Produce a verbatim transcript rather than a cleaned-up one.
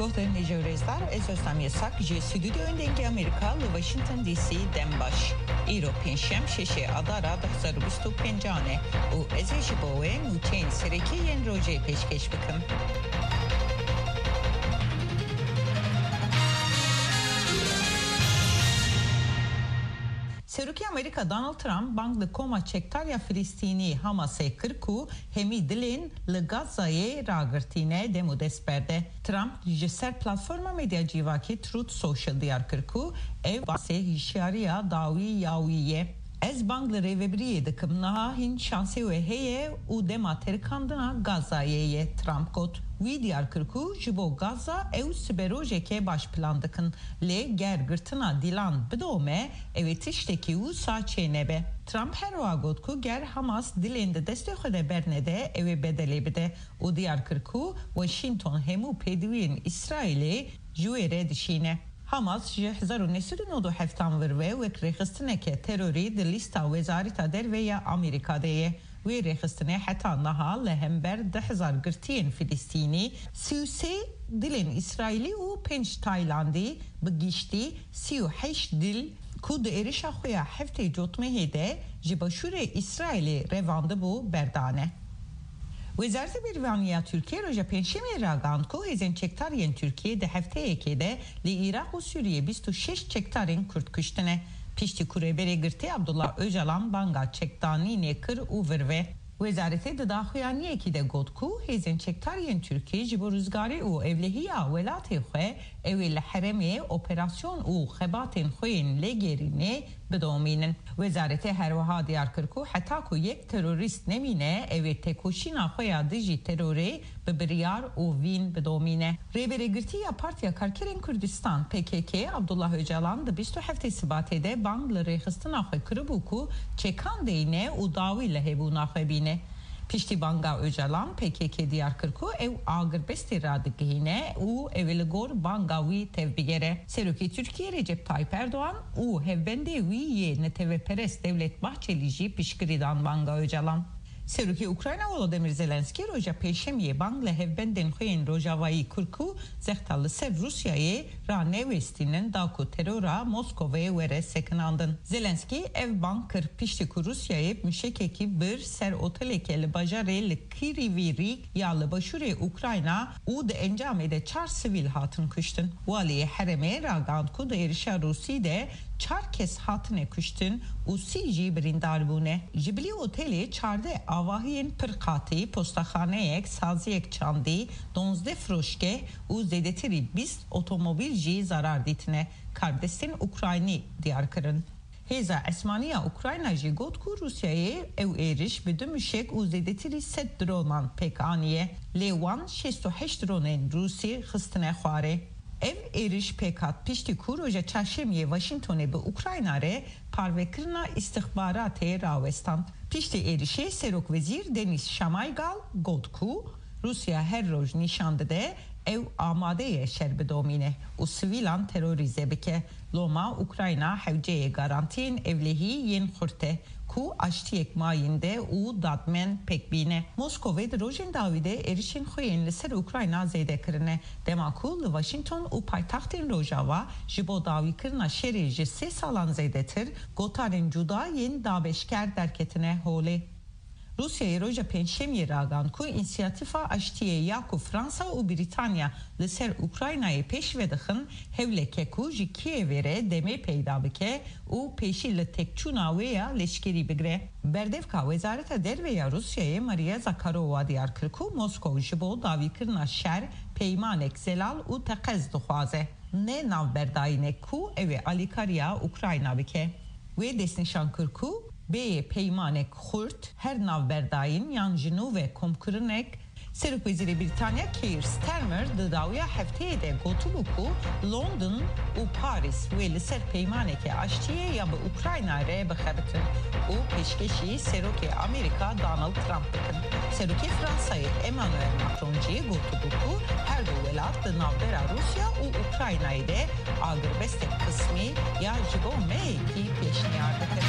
Hêja û rêzdar, ez Özlem Yasak ji Stûdyoyên Dengê Amerîka li Washington D C dem baş. Îro pêncşem şeşê Adara du hezar û bîst û pêncan e û ez ê ji bo we nûçeyên serekî yên rojê pêşkêş bikim. Serokê Amerîka Donald Trump bang li koma çekdar ya Filistînî Hamasê kir ku hemî dilên li Gazayê ragirtîne dem û dest berde. Trump ji ser platforma medya civakî Truth Social diyar kir ku ev basê hişyariya dawî ya wî ye. Ez bang li rêvebiriyê dikim, niha hîn şansê we heye û dema terikandina Gazayê ye, Trump got. Wî diyar kir ku ji bo Gaza ew siberojeke baş plan dikin, lê ger girtina dîlan bidome, ew ê tiştekî wisa çênebe. Trump her wiha got ku ger Hamas dilên di destê xwe de bernede, ew ê bedelê bide û diyar kir ku Washington hemû pêdiviyên Îsraîlê ji wê re dişîne. Hamas ji hezar û neh sed û nod û heft an vir ve wek rêxistineke terorî di lîsta Wezareta Derve ya Amerîka de ye. Wê rêxistinê heta niha li hember du hezar girtiyên Filistînî, sî û sê dilên Îsraîlî û pênc Taylandî, bi giştî sî û heşt dil ku di êrişa xwe ya heftê Cotmehê de ji başûrê Îsraîlê revandibû, berdane. Wezareta Berîvanî ya Tirkiyê roja Pêncşemê ragihand ku hêzên çekdar yên Tirkiyê di hefteyekê de li Iraq û Sûriyê bîst û şeş çekdarên Kurd kuştine. Piştî ku Rêberê Girtî Abdullah Ocalan banga çekdanînê kir û vir ve. Wezaretê di daxuyaniyekî de got ku hêzên çekdar yên Tirkiyê ji bo rizgarî û ewlehiya welatê xwe, ew ê li herêmê operasyon û xebatên xwe yên lêgerînê bidomînin. Wezaretê her wiha diyar kir ku heta ku yek terorîst nemîne, ew ê têkoşîna xwe ya dijî terorê bi biryar û vîn bidomîne. Rêberê Girtî ya Partiya Karkerên Kurdistan, P K K, Abdullah Ocalan di bîst û heftê Sibatê de bang li rêxistina xwe kiribû ku çekan deyne û dawî li hebûna xwe bîne. Piştî banga Ocalan, P K K diyar kir ku ew agirbestê radigihîne û ew ê li gor banga wî tevbigere. Serokê Tirkiyê Recep Tayyip Erdogan û hevbendê wî yê neteweperest Devlet Bahçelî jî piştgirî dan banga Ocalan. Serokê Ukrayna Volodymyr Zelenskî roja Pêncşemiyê bang li hevbendên xwe yên rojavayî kir ku zexta li ser Rûsyayê ranewêstînin da ku terora Moskovê were sekinandin. Zelenskî ev bang kir piştî ku Rûsyayê muşekekî bir ser oteleke li bajarê li Kirîvî Rîg ya li başûrê Ukrayna û di encamê de çar sivîl hatin kuştin. Waliyê herêmê ragihand ku di êrişa Rûsî de çar kes hatine kuştin û sî jî birîndar bûne. Ji bilî otelê çardeh avahiyên pir qatî, postaxaneyek, saziyek çandî, duwazdeh firoşgeh û zêdetirî bîst otomobîl jî zarar dîtine, karbidestên Ukraynî diyar kirin. Hêza Esmanî ya Ukrayna jî got ku Rûsyayê ew êriş bi du muşek û zêdetirî sed dronan pêk aniye, lê wan şêst û heşt dronên Rûsî xistine xwarê. Ev êriş pêk hat piştî ku roja Çarşemiyê Washingtonê bi Ukrayna re parvekirina îstixbaratê rawestand. Piştî êrişê Serokwezîr Denis Şamaygal got ku Rûsya her roj nîşan dide ew amade ye şer bidomîne û sivîlan terorîze bike. Loma Ukrayna hewceyê garantiyên ewlehî yên xurt e ku aştiyek mayînde û dadmen pêk bîne. Moskovê di rojên dawî de êrişên xwe yên li ser Ukrayna zêde kirine, dema ku li Washington û paytextên Rojava ji bo dawîkirina şerê ji sê salan zêdetir gotarên cuda yên dabeşker derketine holê. Rûsyayê roja Pêncşemiyê ragihand ku însiyatîfa aştiyê ya ku Fransa û Brîtanya li ser Ukraynayê pêş ve dixin, hewlek e ku ji Kîevê re demê peyda bike û pêşî li têkçûna wê ya leşkerî bigire. Berdevka Wezareta Derve ya Rûsyayê Maria Zakharova diyar kir ku Moskow ji bo dawîkirina şer peymanek zelal û teqez dixwaze, ne navberdayînek ku ew ê alîkariya Ukrayna bike. Wê destnîşan kir ku bêyî peymanek xurt, her navberdayîn yan ji nû ve komkirinek. Serokwezîrê Brîtanya Keir Starmer di dawiya hefteyê de gotibû ku London û Parîs wê li ser peymaneke aştiyê ya bi Ukrayna re bixebitin û pêşkêşî Serokê Amerîka Donald Trump bikin. Serokê Fransayê Emmanuel Macron jî gotibû ku her du welat di navbera Rûsya û Ukraynayê de agirbestek qismî ya ji bo meyekî pêşniyar dikin.